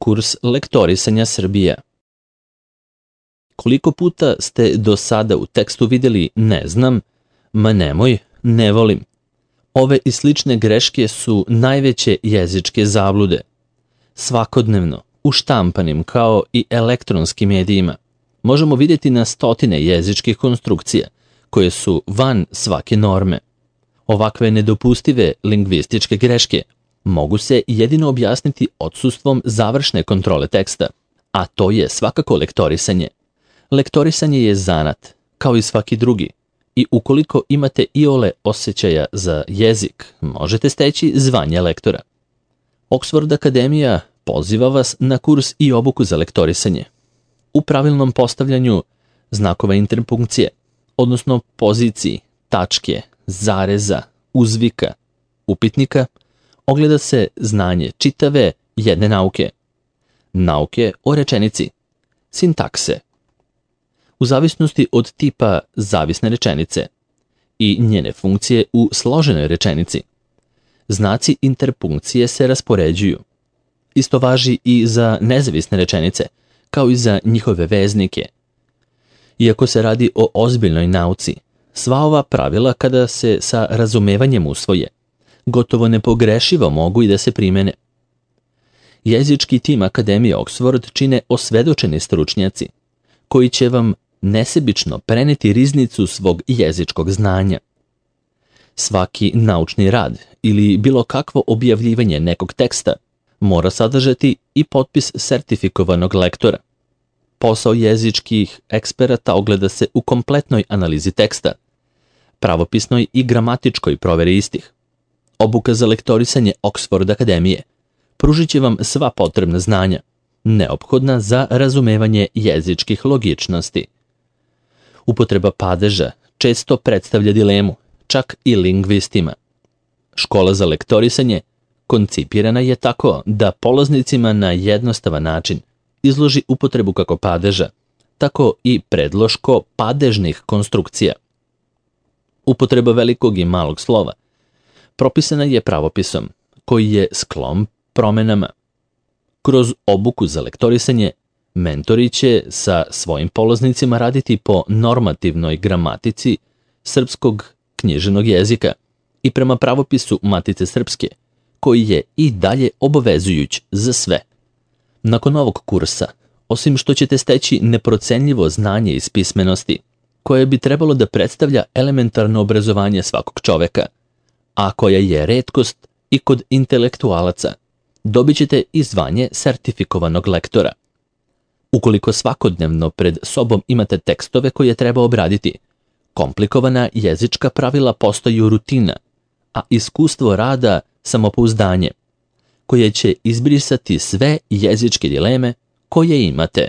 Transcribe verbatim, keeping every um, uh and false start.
Kurs lektorisanja Srbija. Koliko puta ste do sada u tekstu vidjeli ne znam, ma nemoj, ne volim? Ove i slične greške su najveće jezičke zablude. Svakodnevno, u štampanim kao i elektronskim medijima, možemo vidjeti na stotine jezičkih konstrukcija koje su van svake norme. Ovakve nedopustive lingvističke greške mogu se jedino objasniti odsustvom završne kontrole teksta, a to je svakako lektorisanje. Lektorisanje je zanat, kao i svaki drugi, i ukoliko imate iole osjećaja za jezik, možete steći zvanje lektora. Oxford Akademija poziva vas na kurs i obuku za lektorisanje. U pravilnom postavljanju znakova interpunkcije, odnosno poziciji, tačke, zareza, uzvika, upitnika, ogleda se znanje čitave jedne nauke. Nauke o rečenici, sintakse. U zavisnosti od tipa zavisne rečenice i njene funkcije u složenoj rečenici, znaci interpunkcije se raspoređuju. Isto važi i za nezavisne rečenice, kao i za njihove veznike. Iako se radi o ozbiljnoj nauci, sva ova pravila kada se sa razumevanjem usvoje, gotovo nepogrešivo mogu i da se primene. Jezički tim Akademije Oxford čine osvedočeni stručnjaci, koji će vam nesebično preneti riznicu svog jezičkog znanja. Svaki naučni rad ili bilo kakvo objavljivanje nekog teksta mora sadržati i potpis sertifikovanog lektora. Posao jezičkih eksperata ogleda se u kompletnoj analizi teksta, pravopisnoj i gramatičkoj proveri istih. Obuka za lektorisanje Oxford Akademije pružit će vam sva potrebna znanja, neophodna za razumevanje jezičkih logičnosti. Upotreba padeža često predstavlja dilemu, čak i lingvistima. Škola za lektorisanje koncipirana je tako da polaznicima na jednostavan način izloži upotrebu kako padeža, tako i predloško padežnih konstrukcija. Upotreba velikog i malog slova propisana je pravopisom, koji je sklon promenama. Kroz obuku za lektorisanje, mentori će sa svojim polaznicima raditi po normativnoj gramatici srpskog književnog jezika i prema pravopisu Matice srpske, koji je i dalje obavezujuć za sve. Nakon ovog kursa, osim što ćete steći neprocenljivo znanje iz pismenosti, koje bi trebalo da predstavlja elementarno obrazovanje svakog čoveka, a koja je retkost i kod intelektualaca, dobit ćete i zvanje sertifikovanog lektora. Ukoliko svakodnevno pred sobom imate tekstove koje treba obraditi, komplikovana jezička pravila postaju rutina, a iskustvo rada samopouzdanje, koje će izbrisati sve jezičke dileme koje imate.